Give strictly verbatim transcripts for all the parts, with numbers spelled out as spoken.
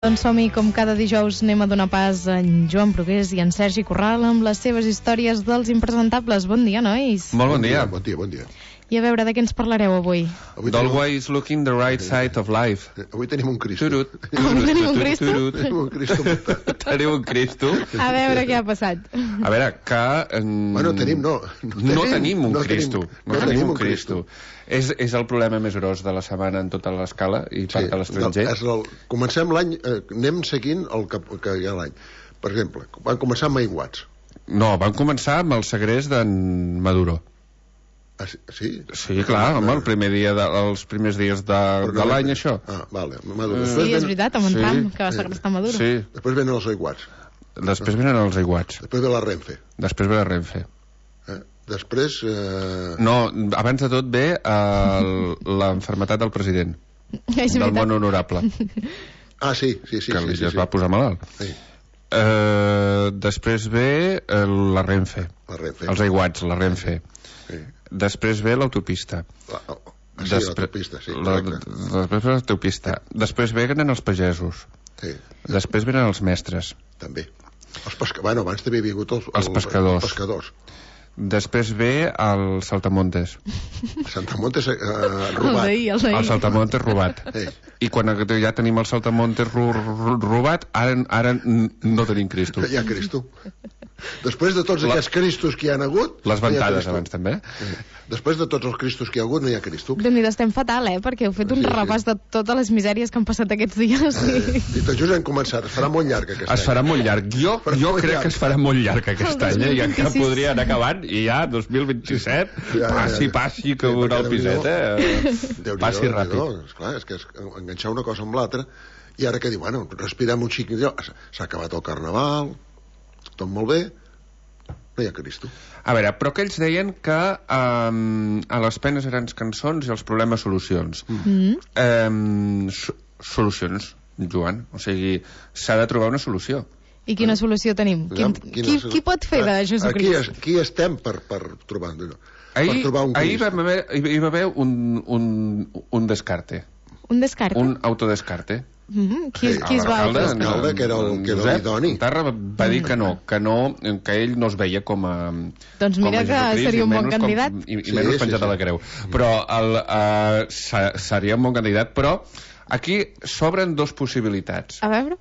Doncs som-hi, com cada dijous anem a donar pas a en Joan Brugués i en Sergi Corral amb les seves històries dels impresentables. Bon dia, nois. Molt bon dia. Bon dia, bon dia. I a veure, de què ens parlareu avui? Avui tenim, Always looking the right side of life. avui tenim un Cristo. Turut. Avui tenim un Cristo? Tenim un Cristo muntat. Teniu un Cristo? A veure què ha passat. A veure, que... mm, Bueno, tenim, no. No tenim un no Cristo. tenim- No tenim un Cristo. És, és el problema més gros de la setmana en tota l'escala i part de l'estranger. és el, comencem l'any, eh, anem seguint el que, que hi ha l'any. Per exemple, van començar amb aiguats. No, van començar amb el segrest d'en Maduro. Ah, sí? sí? Sí, clar, home, el primer dia de, els primers dies de, de l'any, això. Ah, vale. Maduro. Sí, Després és venen, veritat, amb en Sí. Trump, que va segrestar Maduro. Sí, després venen els aiguats. després venen els aiguats. Després ve la Renfe. Després ve la Renfe. Eh? Després... Eh... No, abans de tot ve el- l'enfermetat del president, És del veritat. món honorable, Ah, sí, sí, sí. que sí, li sí, es sí. va posar malalt. Sí, Eh, després ve eh, la Renfe, la Renfe. els aiguats, la Renfe. Sí. Després ve l'autopista. La, ah, sí, Despre- l'autopista, sí, la- correcte. Després ve l'autopista. Després venen els pagesos. Sí, Després venen els mestres. també. Els pesca... Bueno, abans també havia hagut els, Els pescadors. Els pescadors. Després ve el saltamontes. Santa Montes eh, El robat. d'ahir, el El d'ahir. saltamontes robat. Sí. I quan ja tenim el saltamontes ro ro robat, ara, ara n- no tenim Cristo. Hi ha Cristo. Després de tots La- aquests Cristos que hi han hagut... Les no hi ha ventades Cristo. abans també. Sí. Després de tots els Cristos que hi ha hagut, no hi ha Cristo. Déu-n'hi-do, estem fatal, eh? Perquè heu fet un Sí, sí. repàs de totes les misèries que han passat aquests dies. Eh, I tot just hem començat. Es farà molt llarg aquest Es farà molt llarg. Jo, Farà jo molt crec llarg. que es farà molt llarg aquest El any, eh? I encara dos mil vint-i-sis. podria anar acabant, i ja, dos mil vint-i-set, Ja, ja, ja. passi, passi, que Sí, veurà el perquè piset, eh? Déu-n'hi-do, Passi Déu-n'hi-do. ràpid. Esclar, és que és enganxar una cosa amb l'altra. I ara que diu, bueno, respirem un xic. S'ha acabat el carnaval, tot molt bé, no hi ha Cristo. A veure, però que ells deien que um, a les penes grans cançons i els problemes solucions. Mm. Um, so solucions, Joan. O sigui, s'ha de trobar una solució. I quina solució tenim? Qui, Quina qui, solució? qui pot fer de Aquí, Jesucrist? es- aquí estem per, per trobar, per Ahir, trobar un ahir Crist. va haver, hi va haver un, un, un descarte, Un descarte? un autodescarte. Mm -hmm. Qui, Sí, qui es va... L'alcalde, l'alcalde, que era el- que era Josep l'idoni. Tarra va dir que no, que no, que ell no es veia com a... Doncs mira com a que Jesucrist, seria i un bon menys com- candidat. I, i Sí, menys sí, penjat sí. a la creu. Però el, uh, se, seria un bon candidat, però aquí s'obren dos possibilitats. A veure...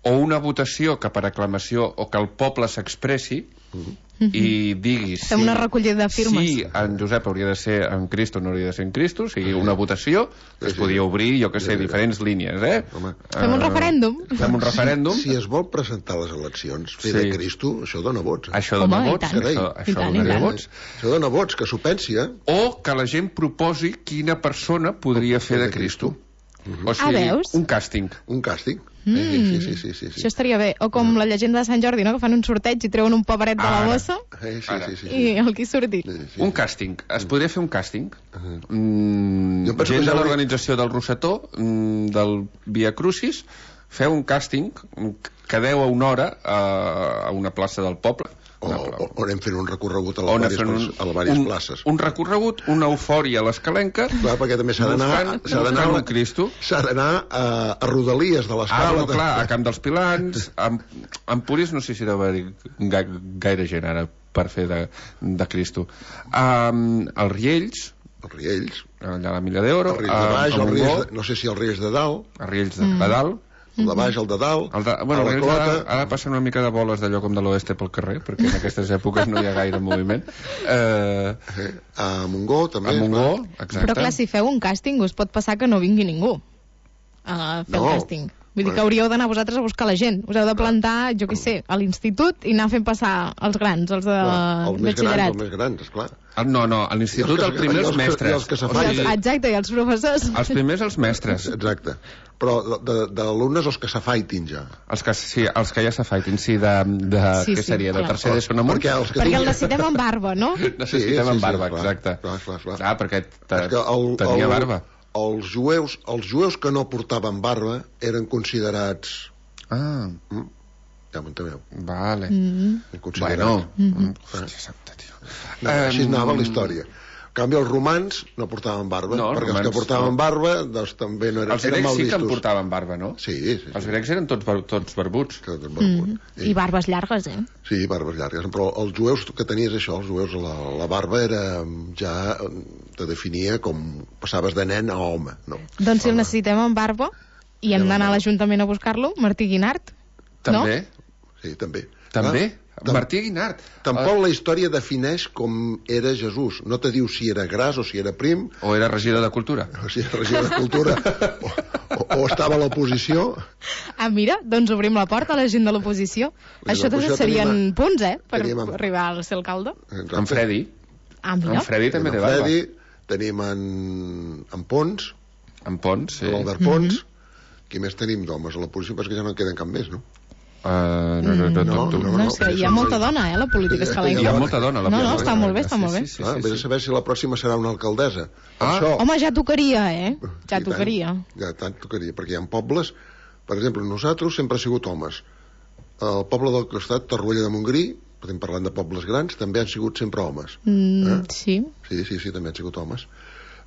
O una votació que per aclamació o que el poble s'expressi i digui si, Fem una recollida de firmes. si en Josep hauria de ser en Cristo o no hauria de ser en Cristo, o sigui, una votació que es Sí, sí. podia obrir, jo que sé, Sí, sí. diferents línies, eh? Home. Fem un Eh, referèndum. Fem un referèndum. Si es vol presentar a les eleccions, fer Sí. de Cristo, això dona vots. Eh? Això dona Home, i vots, tant. això, I això tant, i donaria tant. vots. Això dona vots, que s'ho pensi, eh? O que la gent proposi quina persona podria fer de Cristo. O sigui, Ah, veus? un càsting. Un càsting. Mm. Sí, sí, sí, sí, sí. Això estaria bé. O com la llegenda de Sant Jordi, no? Que fan un sorteig i treuen un pobret de la Ara. bossa Eh, sí, Ara. sí, sí, sí. i el qui surti. Sí, sí. Un càsting. Es podria fer un càsting? Uh-huh. Mm, Jo penso gent que de ja l'organització del Rosetó, mm, del Via Crucis, feu un càsting que deu a una hora a, a una plaça del poble. O, Una pla- o, o anem fent un recorregut a o anem les fent diverses, a les diverses un, places. un recorregut, una eufòria a l'escalenca, Clar, perquè també s'ha d'anar buscant, s'ha d'anar buscant un Cristo. s'ha d'anar a, a Rodalies de Ah, l'escala. no, clar, a Camp dels Pilans, a Empúries no sé si deu haver ga, gaire gent ara per fer de, de Cristo. Um, els Riells, Els Riells, allà a la Milla d'Oro, els Riells de baix, a els Riells Montgó, de, no sé si els Riells de dalt, els Riells de, de dalt, el de baix, el de dalt, el de, bueno, a la els Riells de dalt, Clota, ara passen una mica de boles d'allò com de l'oeste pel carrer, perquè en aquestes èpoques no hi ha gaire moviment. Eh, eh, a Montgó també. a Montgó, clar. exacte. Però clar, si feu un càsting us pot passar que no vingui ningú a fer No. el càsting. Vull dir Bueno. que hauríeu d'anar vosaltres a buscar la gent. Us heu de plantar, jo què sé, a l'institut i anar fent passar els grans, els de Clar, els més grans, batxillerat. els més grans, esclar. Ah, no, no, a l'institut I els el que- primer i els els que- mestres. i els que O se I fan- sigui, els, exacte, i els professors. els primers els mestres. Exacte. Però de- de- d'alumnes els que s'afaitin ja. Els que, sí, els que ja s'afaitin, sí, de, de Sí, què sí, seria, de clar. tercer d'ESO en amunt? Perquè els que Perquè el tinguin- necessitem amb barba, no? Necessitem Sí, sí, amb sí, barba, clar, exacte. clar, clar, clar. Clar, perquè te, És que el, tenia el, barba. Els jueus, els jueus que no portaven barba eren considerats... Ah, Mm, ja m'enteneu. vale. Mm. Considerats. Bueno, mm. Hòstia santa, tio. No, així Em, anava la història. En canvi, els romans no portaven barba, no, perquè romans, els que portaven no. barba doncs també no eren, els eren grecs mal sí que vistos. en portaven barba, no? Sí, sí, sí. Els grecs eren tots, bar tots barbuts. Tots barbuts. Mm. I barbes llargues, eh? Sí, barbes llargues, però els jueus que tenies això, els jueus la, la barba era ja te definia com passaves de nen a home, no? Doncs si el necessitem amb barba i hem d'anar a l'Ajuntament a buscar-lo, Martí Guinart, També? No? Sí, també. També? Ah, Martí Guinart. Tampoc la història defineix com era Jesús. No te diu si era gras o si era prim. O era regidor de Cultura. O si era regidor de Cultura. o, o, o estava a l'oposició. Ah, mira, doncs obrim la porta a la gent de l'oposició. Això doncs serien tenim, punts, eh? Per amb, arribar a ser alcalde. Exacte. En Freddy. Ah, mira. En Freddy també té barba. En Freddy, tenim en, en Pons. En Pons, sí. L'Albert Pons. Mm -hmm. Qui més tenim d'homes a l'oposició? Perquè ja no en queden cap més, no? Uh, no, no, no, no, no, no, no, és que hi ha molta dona, eh, la política escalenca. Hi ha molta dona a la política. No, no, està molt bé, està molt bé. Sí, sí, sí, ah, vés a saber si la pròxima serà una alcaldessa. Ah. Això... Home, ja tocaria, eh? Ja I tocaria. Tant, ja tant tocaria, perquè hi ha pobles... Per exemple, nosaltres sempre ha sigut homes. El poble del costat, Torroella de Montgrí, estem parlant de pobles grans, també han sigut sempre homes. Mm, eh? Sí. Sí, sí, sí, també han sigut homes.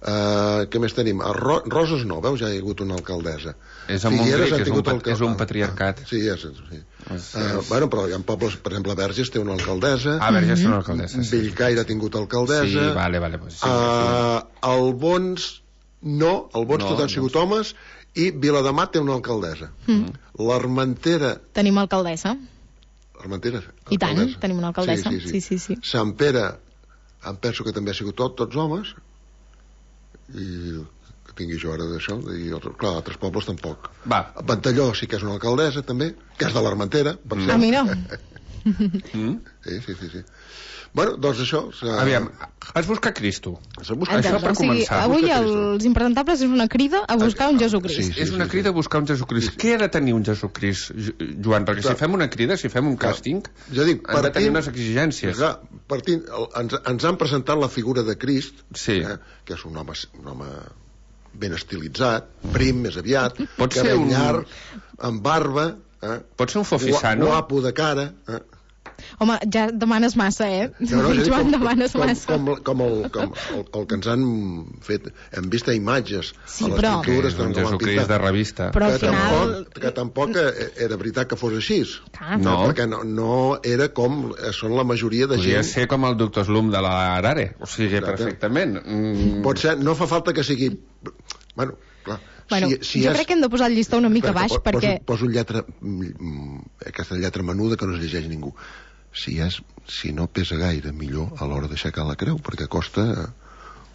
Uh, què més tenim? A Ro Roses no, veus? Ja hi ha hagut una alcaldessa. És a Montgrí, que és un, pat és un patriarcat. Ah, sí, és, sí. Uh, bueno, però hi ha pobles, per exemple, Verges té una alcaldessa. Ah, Verges té una alcaldessa, sí. Bellcaire ha tingut alcaldessa. Sí, vale, vale. Pues sí, uh, el Bons, no, el Bons no, tot han sigut no. homes, i Viladamat té una alcaldessa. Mm. L'Armentera... Tenim alcaldessa. L'Armentera? I tant, tenim una alcaldessa. Sí, sí, sí. sí, sí, sí. Sant Pere, em penso que també ha sigut tot, tots homes, i que tingui jo ara d'això, i clar, altres pobles tampoc. Va. Ventalló sí que és una alcaldessa també, que és de l'Armentera, per mm. A mi no. mm? Sí, sí, sí, sí. Bueno, doncs això... Aviam, has buscat Cristo. Has buscat això per o sigui, començar. Avui els impresentables és una crida a buscar un Jesucrist. Sí, sí, és una sí, crida sí. a buscar un Jesucrist. Sí, sí. Què ha de tenir un Jesucrist, Joan? Perquè clar, si fem una crida, si fem un càsting, jo dic, han de tenir unes exigències. Clar, partint, ens, ens han presentat la figura de Crist, sí. eh, que és un home, un home ben estilitzat, prim, més aviat, pot cabell un... llarg, amb barba... Eh, pot ser un fofisano. Guapo de cara... Eh. Home, ja demanes massa, eh? No, no, Joan, com, demanes com, massa. Com, com, el, com el, el que ens han fet, hem vist a imatges sí, a les però... pintures, un Jesucrist de revista. Però al que, final... tampoc, que tampoc era veritat que fos així. Ah, no. Perquè no, no era com són la majoria de Podria gent... ser com el doctor Slum de l'Arare, o sigui, exacte. Perfectament. Mm. Pot ser, no fa falta que sigui... Bueno, clar... Bueno, si, si jo és... crec que hem de posar el llistó una mica baix, poso, perquè... Poso lletra... aquesta lletra menuda que no es llegeix ningú. Si, és, si no pesa gaire, millor a l'hora d'aixecar la creu, perquè costa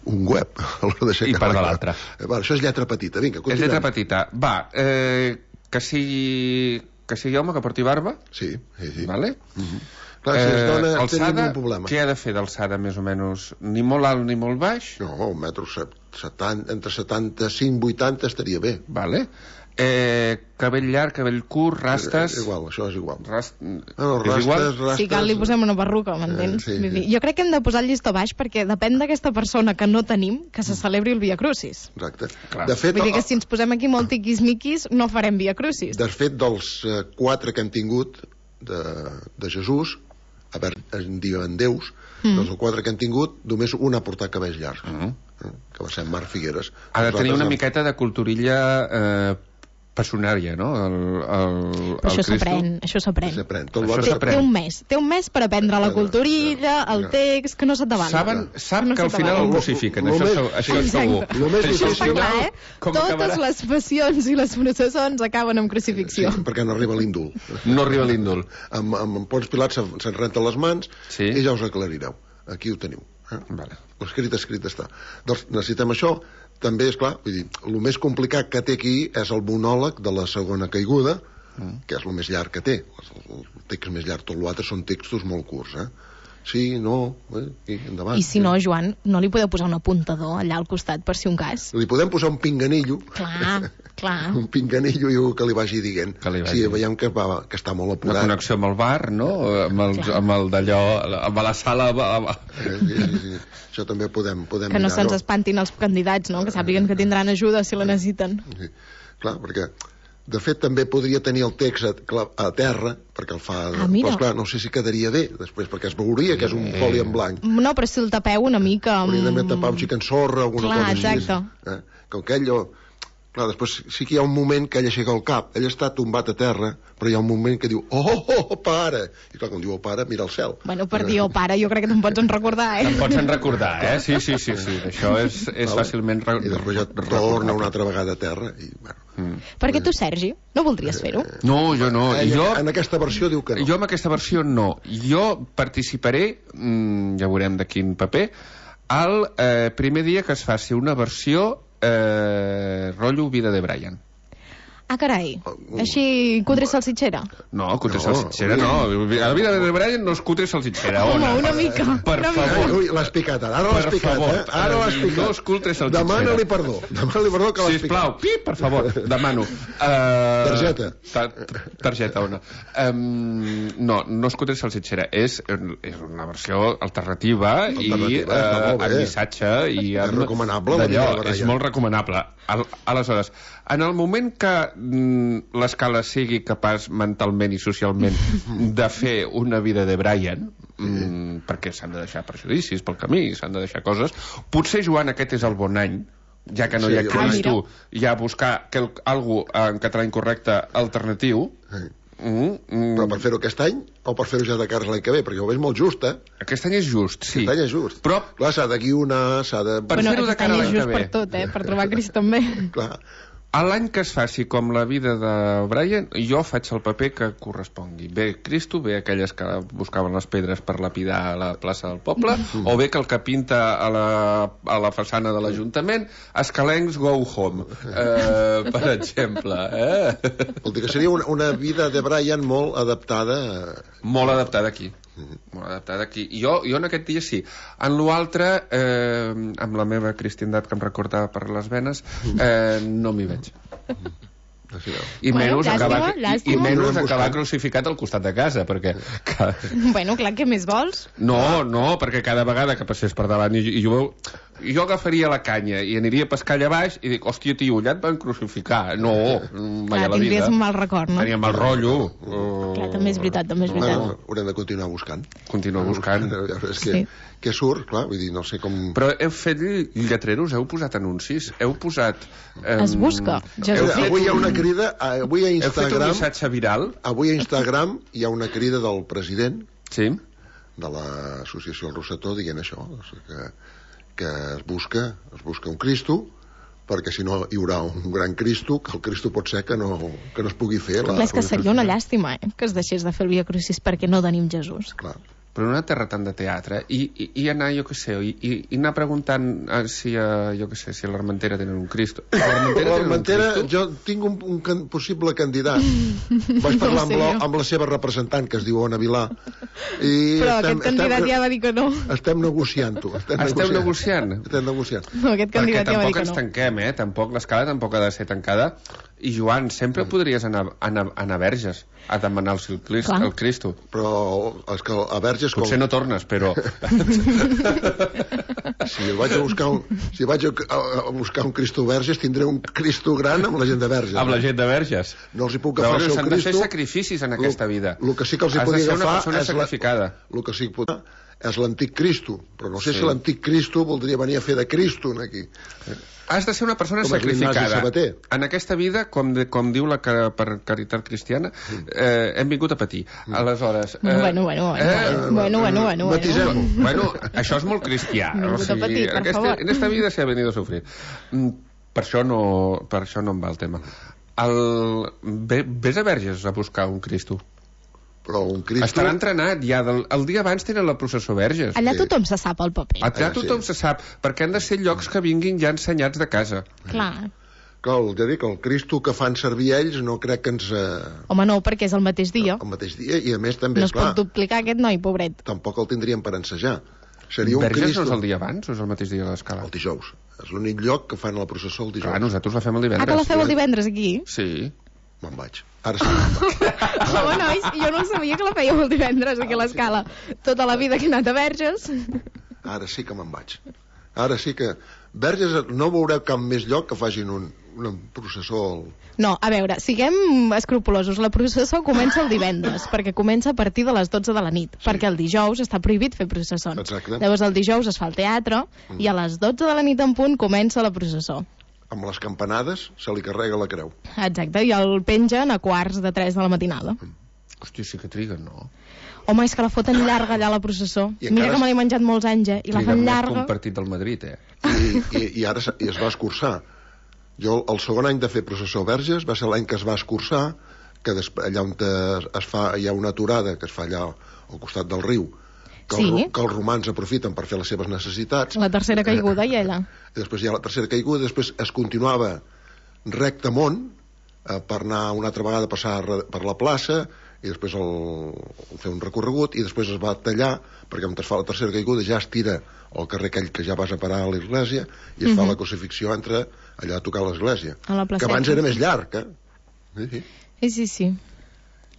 un web a l'hora d'aixecar la creu. I part de l'altra. Eh, va, això és lletra petita, vinga, continuem. És lletra petita. Va, eh, que sigui... que sigui home, que porti barba. Sí, sí, sí. Vale? Uh -huh. Clar, si es dona, eh, alçada, un problema. Què ha de fer d'alçada, més o menys? Ni molt alt ni molt baix? No, un metro setanta, entre setanta-cinc i vuitanta estaria bé. Vale. Eh, cabell llarg, cabell curt, rastes... És igual, això és igual. Rast... No, no, rastes, rastes... Si cal, li posem una perruca, m'entens? Eh, sí, sí. Jo crec que hem de posar el llistó baix perquè depèn d'aquesta persona que no tenim que se celebri el Via Crucis. Exacte. Clar. De fet, Vull dir que si ens posem aquí molt tiquis-miquis no farem Via Crucis. De fet, dels eh, quatre que han tingut de, de Jesús, a veure, en diuen déus, mm. dels quatre que han tingut, només un ha portat cabells llargs, mm. eh, que va ser Marc Figueres. Ha de tenir una miqueta de culturilla... Eh, passionària, no? El, el, Però això s'aprèn, això s'aprèn. Té, té un mes, té un mes per aprendre la culturilla, el text, que no se't davant. Saben, sap no que al final el crucifiquen, això, això, això és segur. Això està clar, eh? Totes les passions i les processons acaben amb crucifixió. Sí, perquè no arriba l'índol. No arriba l'índol. Amb, amb Pons Pilat se'n renten les mans sí. i ja us aclarireu. Aquí ho teniu. Eh? Vale. L'escrit escrit està. Doncs necessitem això. També, és clar, vull dir, el més complicat que té aquí és el monòleg de la segona caiguda, mm. que és el més llarg que té. El text més llarg, tot l'altre són textos molt curts, eh? Sí, no, eh? I endavant. I si no, Joan, no li podeu posar un apuntador allà al costat, per si un cas? Li podem posar un pinganillo. Clar, clar. Un pinganillo i que li vagi dient. Li vagi. Sí, veiem que, va, que està molt apurat. Una connexió amb el bar, no? Amb el, amb el d'allò, amb la sala... Sí, sí, sí. Això també podem, podem que no se'ns no? espantin els candidats, no? Que sàpiguen que tindran ajuda si la necessiten. Sí. Clar, perquè De fet, també podria tenir el text a, a terra, perquè el fa... Ah, mira. Però, esclar, no sé si quedaria bé, després, perquè es veuria que és un foli en blanc. No, però si el tapeu una mica... Amb... Hauria de tapar un xic en sorra, alguna Clar, cosa així. exacte. Eh? Com que ell... Clar, després sí que hi ha un moment que ell aixeca el cap. Ell està tombat a terra, però hi ha un moment que diu, oh, oh, oh, pare! I clar, quan diu, oh, pare, mira el cel. Bueno, per dir, oh, pare, jo crec que te'n pots en recordar, eh? Te'n pots en recordar, eh? Sí, sí, sí, sí. Això és, és fàcilment... Re I després ja torna una altra vegada a terra i, bueno... Mm. Perquè tu, Sergi, no voldries fer-ho? No, jo no. Ell, jo, en aquesta versió diu que no. Jo en aquesta versió no. Jo participaré, mmm, ja veurem de quin paper, el eh, primer dia que es faci una versió eh, rotllo Vida de Brian. Ah, carai. Així, cutre salsitxera? No, cutre No, salsitxera ui. no. A la Vida de Brian no és cutre salsitxera. Home, Ona. una mica. Per una favor. mica. Ui, l'has picat ara, ara l'has Per picat, favor. eh? Ara l'has picat. No és cutre salsitxera. Demana-li perdó. Demana-li perdó que l'has Sisplau, picat. pip, per favor, demano. Uh, Targeta. Ta targeta, ona. Um, no, no és cutre salsitxera, és, és una versió alternativa, Alternativa, i està uh, molt bé. amb missatge i És amb... recomanable, la d'allò, Vida de Brian. és molt recomanable. Al aleshores, en el moment que mm, l'escala sigui capaç mentalment i socialment de fer una vida de Brian, mm, perquè s'han de deixar prejudicis pel camí, s'han de deixar coses, potser, Joan, aquest és el bon any, ja que no Sí, hi ha jo- Cristo, Ah, ja buscar quel, algú en català incorrecte alternatiu. Sí. Mm, mm, Però per fer-ho aquest any o per fer-ho ja de cara a l'any que ve? Perquè ho veig molt just, eh? aquest any és just, sí. Aquest any és just. Però Clar, s'ha de guionar, s'ha de... Per Bueno, fer-ho de aquest cara a any és l'any que just ve. per tot, eh? Per trobar Crist també. Clar. a l'any que es faci com la vida de Brian, jo faig el paper que correspongui. Bé Cristo, bé aquelles que buscaven les pedres per lapidar a la plaça del poble, o bé que el que pinta a la, a la façana de l'Ajuntament, Escalencs go home, eh, per exemple. Eh? Vol dir que seria una, una vida de Brian molt adaptada... Molt adaptada aquí. Molt adaptada aquí. Jo, jo en aquest dia sí. En l'altre, eh, amb la meva cristiandat que em recorda per les venes, eh, no m'hi veig. I Bueno, menys llàstima, acabar, i, i llàstima. menys acabar crucificat al costat de casa, perquè... Que... Bueno, clar, què més vols? No, no, perquè cada vegada que passés per davant i, i jo, jo agafaria la canya i aniria a pescar allà baix i dic, hòstia, tio, allà et van crucificar. No, mai Clar, a la vida. tindries un mal record, no? Tenia mal rotllo. Clar, també és veritat, també és veritat. Bueno, haurem de continuar buscant. Continuo buscant. És que, Sí. que surt, clar, vull dir, no sé com... Però heu fet lletreros, heu posat anuncis, heu posat... Eh, Es busca, Heu, Jesús. avui hi ha una crida, avui a Heu fet un Instagram, missatge viral? avui a Instagram hi ha una crida del president Sí. de l'associació El Rosetó dient això, o sigui que, que es busca, es busca un Cristo, perquè si no hi haurà un gran Cristo, que el Cristo pot ser que no, que no es pugui fer. La, Clar, és que seria una llàstima, eh? Que es deixés de fer el Via Crucis perquè no tenim Jesús. Clar. Però en una terra tant de teatre, i, i, i anar, jo què sé, i, i, i anar preguntant eh, si, uh, jo què sé, si a l'Armentera tenen un Cristo. A l'Armentera tenen un L'Armentera, Cristo? jo tinc un, un can, possible candidat. Vaig parlar amb, la, amb la seva representant, que es diu Ona Vilà. I Però aquest candidat ja va dir que no. Estem negociant-ho. Estem, Esteu negociant? Estem negociant. No, aquest Perquè candidat ja va dir tampoc que ens no. tanquem, eh? Tampoc, l'escala tampoc ha de ser tancada. I, Joan, sempre podries anar, anar, anar a Verges a demanar el, Crist, Clar. el Cristo. Però és que a Verges... Potser no tornes, però... Si vaig a buscar un, si vaig a, a, a buscar un Cristo Verges, tindré un Cristo gran amb la gent de Verges. Amb la gent de Verges. No els hi puc Llavors, agafar el seu s'han de Cristo. fer sacrificis en aquesta vida. El que sí que els hi Has de podria ser una agafar persona és la- sacrificada. el que sí que pot és l'antic Cristo, però no sé Sí. si l'antic Cristo voldria venir a fer de Cristo aquí. Has de ser una persona Com és l'Ignasi sacrificada. Sabater. En aquesta vida, com, de, com diu la ca, per caritat cristiana, eh, hem vingut a patir. Aleshores... Eh, Bueno, bueno, bueno, eh, bueno, bueno, bueno, Matisem-ho. bueno. Bueno, això és molt cristià. Hem vingut a patir, per aquesta, favor. en esta vida se ha venido a sufrir. Mm, Per això no, per això no em va el tema. El, ve, ves a Verges a buscar un Cristo. Però un Cristo... Estarà entrenat ja. Del, el dia abans tenen la processó Verges. Allà Sí. tothom se sap el paper. Allà Ah, sí. tothom se sap, perquè han de ser llocs que vinguin ja ensenyats de casa. Clar. Que el, ja dic, el Cristo que fan servir ells no crec que ens... Eh, Home, no, perquè és el mateix dia. el mateix dia, i a més també, No es esclar, pot duplicar aquest noi, pobret. tampoc el tindríem per ensejar. Seria un Verges Cristo... no és el dia abans o és el mateix dia de l'escala? El dijous. És l'únic lloc que fan la processó el dijous. Clar, nosaltres la fem el Ah, que la divendres. feu el divendres aquí? Sí. Me'n vaig. Ara sí. me'n vaig. Home, nois, jo no sabia que la fèieu el divendres aquí a l'escala. Tota la vida que he anat a Verges. Ara sí que me'n vaig. Ara sí que... Verges, no veureu cap més lloc que facin un, una processó... El... No, a veure, siguem escrupulosos. La processó comença el divendres, perquè comença a partir de les dotze de la nit, sí. perquè el dijous està prohibit fer processons. Exacte. Llavors el dijous es fa el teatre mm. i a les dotze de la nit en punt comença la processó. Amb les campanades se li carrega la creu. Exacte, i el pengen a quarts de tres de la matinada. Mm. Hòstia, sí que triguen, no? Home, és que la foten llarga allà a la processó. Mira que me l'he menjat molts anys, eh? I la fan llarga. Triguen més que un partit del Madrid, eh? I, i, i ara i es va escurçar. Jo, el segon any de fer processó Verges va ser l'any que es va escurçar, que després, allà on es fa, hi ha una aturada que es fa allà al costat del riu, que, sí. el, que els romans aprofiten per fer les seves necessitats. La tercera caiguda, i ella. I després hi ha la tercera caiguda, després es continuava recte amunt, eh, per anar una altra vegada a passar per la plaça, i després el, el fer un recorregut, i després es va tallar, perquè on es fa la tercera caiguda ja es tira al carrer aquell que ja vas a parar a l'església, i es uh-huh. fa la crucifixió entre allà a tocar l'església, que abans era més llarg, eh? Sí, sí. Sí, sí, sí.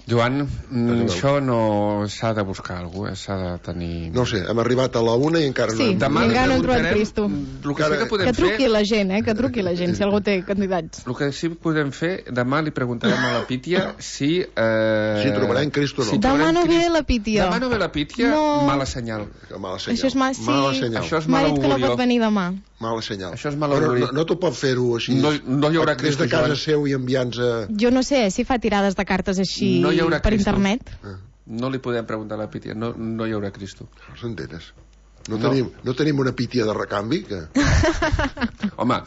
Joan, mm, això no s'ha de buscar algú, eh? S'ha de tenir... No sé, hem arribat a la una i encara sí, no... Demà encara no hem trobat Cristo. El que, sí que, podem que truqui fer... la gent, eh? Que truqui la gent, si algú té candidats. El que sí que podem fer, demà li preguntarem a la Pítia si... Eh... Si trobarem Cristo o no. Si demà no ve la Pítia. Demà no ve la Pítia, no. mala senyal. Mala senyal. Això és ma... sí. mala senyal. Això és mala augurió. M'ha dit que no pot venir demà. Mala senyal. Això és mala augurió. No, no t'ho pot fer-ho així. No, no hi haurà Cristo, des de casa seu i enviant-nos a... Jo no sé si fa tirades de cartes així no hi haurà per Cristo. internet. Ah. No li podem preguntar a la Pítia, no, no hi haurà Cristo. Els entenes? No, no. Tenim, no tenim una Pítia de recanvi? Que... Home,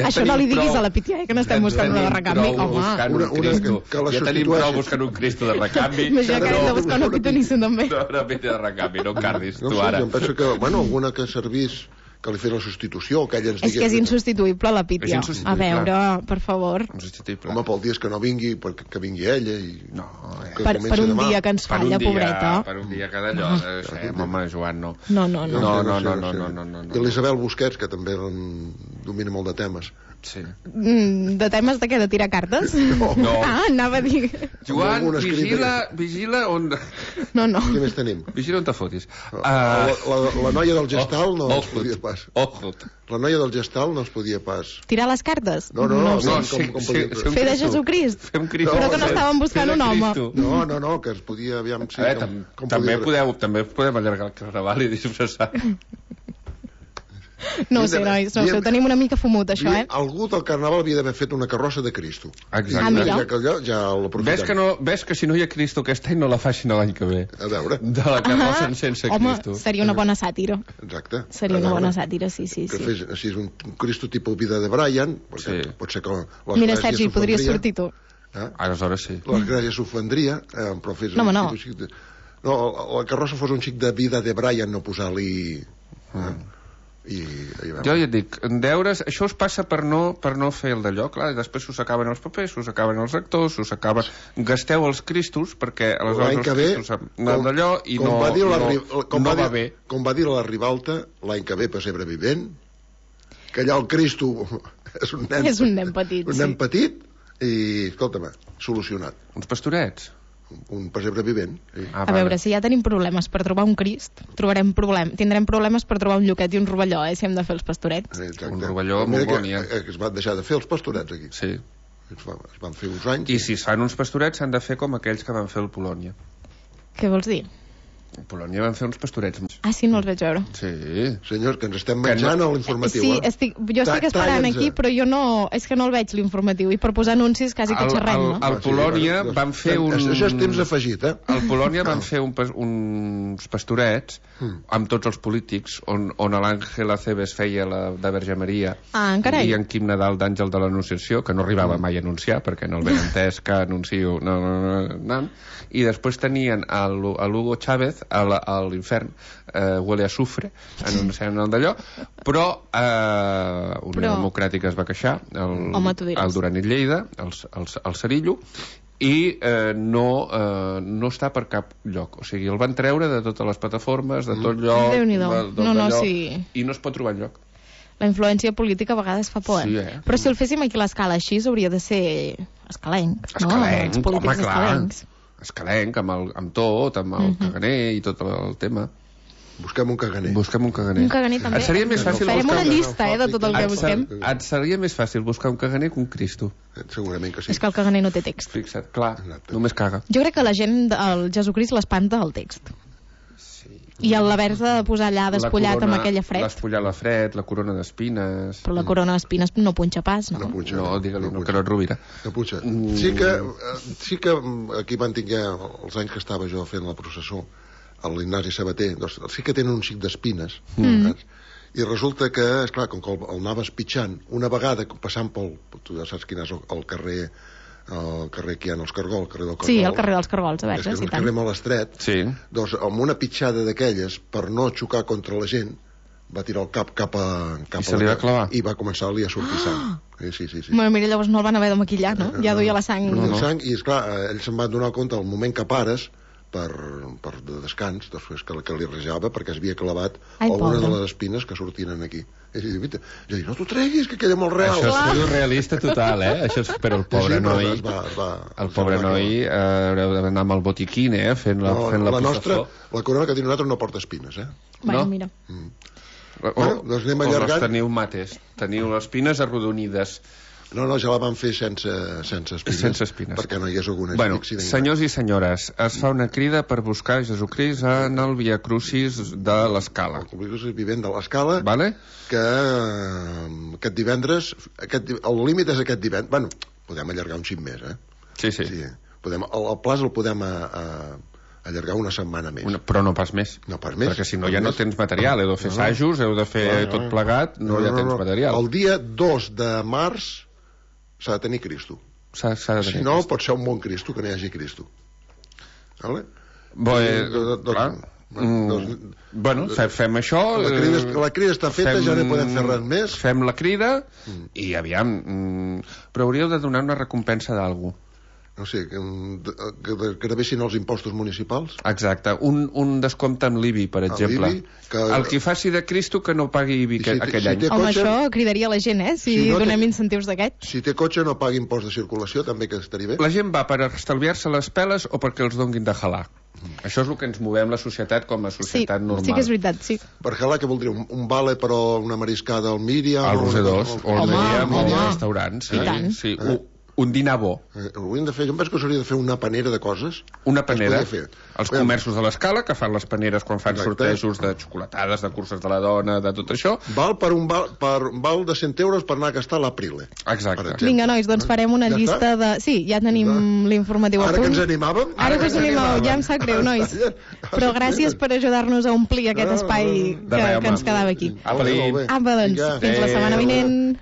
ja això no li diguis prou... a la Pítia, eh, que no estem ja buscant una de recanvi. Home, una, una, que, que ja tenim prou buscant un Cristo de recanvi. Més ja que hem de buscar una Pitonissa també. No, una Pítia de recanvi, no cardis, no, tu sí, ara. Jo penso que, bueno, alguna que servís que li fes la substitució, que ella ens digués... És que és insubstituïble, la Pítia. A veure, per favor. Home, pel dia que no vingui, perquè que vingui ella i... No, eh. per, per un demà. dia que ens falla, dia, pobreta. Per un dia que d'allò, no. eh, home, Joan, no. No, no, no. No, no, no, no, no, no, no, no. I l'Isabel Busquets, que també domina molt de temes. Sí. Mm, de temes de què? De tirar cartes? No. no. Ah, anava a dir... Joan, vigila, vigila on... No, no. Què més tenim? Vigila on te fotis. Uh... La, la, la noia del gestal no oh, es podia pas. Oh, la noia del gestal no es podia pas. Tirar les cartes? No, no, no. no, com, sí, com sí, podia... Fer de Jesucrist? Fer un Cristo. No, però que no estàvem buscant un home. No, no, no, que es podia... Aviam, sí, veure, com, tam com també, podia... podeu, també podem allargar el carnaval i disfressar. No sé, nois, no sé, ho tenim una mica fumut, això, eh? Algú del carnaval havia d'haver fet una carrossa de Cristo. Exacte. Ah, ja que allò ja l'aprofitem. Ves que, no, ves que si no hi ha Cristo aquest any no la facin l'any que ve. A veure. De la carrossa ah, sense home, Cristo. Home, seria una bona sàtira. Exacte. Seria una bona sàtira, sí, sí. Que sí. fes així un, un Cristo tipus vida de Brian, perquè sí. Pot ser que l'església... Mira, Sergi, podries sortir tu. Eh? Aleshores sí. L'església s'ofendria, eh, però fes... No, no. De... No, la carrossa fos un xic de vida de Brian, no posar-li... Mm. Eh? I, i jo ja et dic, en deures això us passa per no, per no fer el d'allò, clar, i després us acaben els papers, us acaben els actors, us acaben gasteu els cristos, perquè aleshores els cristos han d'allò i no, va dir la, no, com no va, va dir, bé com va dir la Ribalta l'any que ve pessebre vivent, que allà el Cristo és un nen, és un nen petit, un nen petit i, escolta'm, solucionat. Uns pastorets un pessebre vivent. Sí. Ah, a veure, si ja tenim problemes per trobar un Crist, trobarem problem... tindrem problemes per trobar un lloquet i un rovelló, eh, si hem de fer els pastorets. Exacte. Un rovelló molt bon, ja. Que, que es van deixar de fer els pastorets aquí. Sí. Es van, es van fer uns anys. I si es fan uns pastorets s'han de fer com aquells que van fer el Polònia. Què vols dir? A Polònia van fer uns pastorets. Ah, sí, no els veig veure. Sí. Senyor, que ens estem menjant no... a l'informatiu. Sí, eh? estic, jo estic esperant aquí, però jo no... És que no el veig, l'informatiu. I per posar anuncis quasi que xerrem, no? Al Polònia sí, van fer un... Això és temps afegit, eh? Al Polònia van fer un, uns pastorets amb tots els polítics, on, on l'Àngel Acebes feia la de Verge Maria. Ah, carai. I en Quim Nadal d'Àngel de l'Anunciació, que no arribava mai a anunciar, perquè no el ben entès que anuncio... No, no, no, no. I després tenien a l'Hugo Chávez a l'infern, eh, huele a sufre, anunciant el d'allò, però eh, Unió però... Democràtica es va queixar, el, Home, el Duran i Lleida, el, el, el Cerillo, i eh, no, eh, no està per cap lloc. O sigui, el van treure de totes les plataformes, de tot lloc, Déu-n'hi-do. No, no, sí. I no es pot trobar enlloc. La influència política a vegades fa por, sí, eh? Però si el féssim aquí a l'escala així, hauria de ser escalenc, no? Escalenc, home, clar. Escalenc, amb, el, amb tot, amb el uh -huh. caganer i tot el tema. Busquem un caganer. Busquem un caganer. Un caganer també. Et seria més fàcil Farem buscar... una llista, eh, de tot el que et, busquem. et seria més fàcil buscar un caganer que un Cristo. Segurament que sí. És que el caganer no té text. Fixa't, clar, Exacte. només caga. Jo crec que la gent, el Jesucrist l'espanta el text. I l'haver-se de posar allà despullat corona, amb aquella fred. Despullar la fred, la corona d'espines... Però la corona d'espines no punxa pas, no? No punxa. No, digue-li, no, punxa. que no et rovira. No punxa. Sí que, eh, sí que aquí van tinguer els anys que estava jo fent la processó a l'Ignasi Sabater, doncs sí que tenen un xic d'espines, Mm. saps? I resulta que, esclar, com que el, el anaves pitjant, una vegada passant pel... Tu ja saps quin és el, el carrer el carrer que hi ha els Cargol, el carrer del Cargol. Sí, el carrer dels Cargols, a És que veure, és si un tant. carrer molt estret. Sí. Doncs amb una pitjada d'aquelles, per no xocar contra la gent, va tirar el cap cap a... Cap I se li la- va clavar? I va començar-li a sortir sang. Sí, sí, sí. sí. Bueno, mira, llavors no el van haver de maquillar, no? Ja duia la sang. No, no. no. sang, i esclar, eh, ells se'n van donar compte al moment que pares per, per de descans, després que, que li rejava perquè es havia clavat Ai, alguna pobre. de les espines que sortien aquí. I jo dic, jo dic, no t'ho treguis, que queda molt real. Això és surrealista total, eh? Això és... Però el pobre Sí, però noi... es va, es va, El pobre es va noi eh, haureu d'anar amb el botiquín, eh? Fent la, No, fent la, la nostra, processó. la corona que tenim nosaltres no porta espines, eh? Bueno, No? mira. O, Bueno, doncs anem o les allargant. teniu mates. Teniu les espines arrodonides. No, no, ja la van fer sense, sense espines. Sense espines. Perquè no hi hagués algun Bueno, accident. senyors i senyores, es fa una crida per buscar Jesucrist en el Via Crucis de l'Escala. El Crucis vivent de l'Escala, Vale? que eh, aquest divendres, aquest, di- el límit és aquest divendres, bueno, podem allargar un xic més, eh? Sí, sí. Sí. Podem, el, el plaç el podem a, a, allargar una setmana més. Una, però no pas més. No pas més. Perquè si no Pas ja no més. tens material. Heu de fer No, no. assajos, heu de fer No, no, tot no. plegat, no, ja tens material. El dia dos de març s'ha de tenir Cristo. S'ha s'ha de Si tenir no, Crist. pot ser un bon Cristo que no hi hagi Cristo. Vale? Bo, eh, do- do- do- clar. Mm, doncs- bueno, fe- fem això. La crida, eh, la crida està feta, ja no hi podem fer res més. Fem la crida i aviam... Mm, però hauríeu de donar una recompensa d'algú. No sé, que, que, que gravessin els impostos municipals. Exacte, un, un descompte amb l'I B I, per exemple. l'I B I, que- El qui faci de Cristo que no pagui I B I I que, si té- aquell si any. té- Home, cotxe- això cridaria la gent, eh? Si, Si no té- donem incentius d'aquests. Si té cotxe no pagui impost de circulació, també que estaria bé. La gent va per estalviar-se les peles o perquè els donguin de jalar? Això és el que ens movem la societat com a Sí, societat normal. sí que és veritat, sí. Per jalar, què voldria? Un, un vale, però una mariscada al Míriam... Al o- Roser dos, o al Home, Míriam, o home. al restaurant. Sí, I tant. sí. Un, un dinar bo. Eh, hauríem de fer, jo em penso que s'hauria de fer una panera de coses. Una que es panera. podria fer. Els Aviam, comerços de l'escala, que fan les paneres quan fan Exacte. sortejos de xocolatades, de curses de la dona, de tot això. Val per un val, per, val de cent euros per anar a gastar a l'Aprile. Exacte. Per exemple. Vinga, nois, doncs farem una Ja llista està? de... Sí, ja tenim l'informatiu a Ara que punt. ens animàvem... Ara que us animeu, ja em sap greu, nois. Però gràcies per ajudar-nos a omplir aquest No, espai no, no. De que, res, que ens home. quedava aquí. Apa, Molt bé, molt bé. Apa, doncs, Vinga. fins la setmana Adéu. vinent.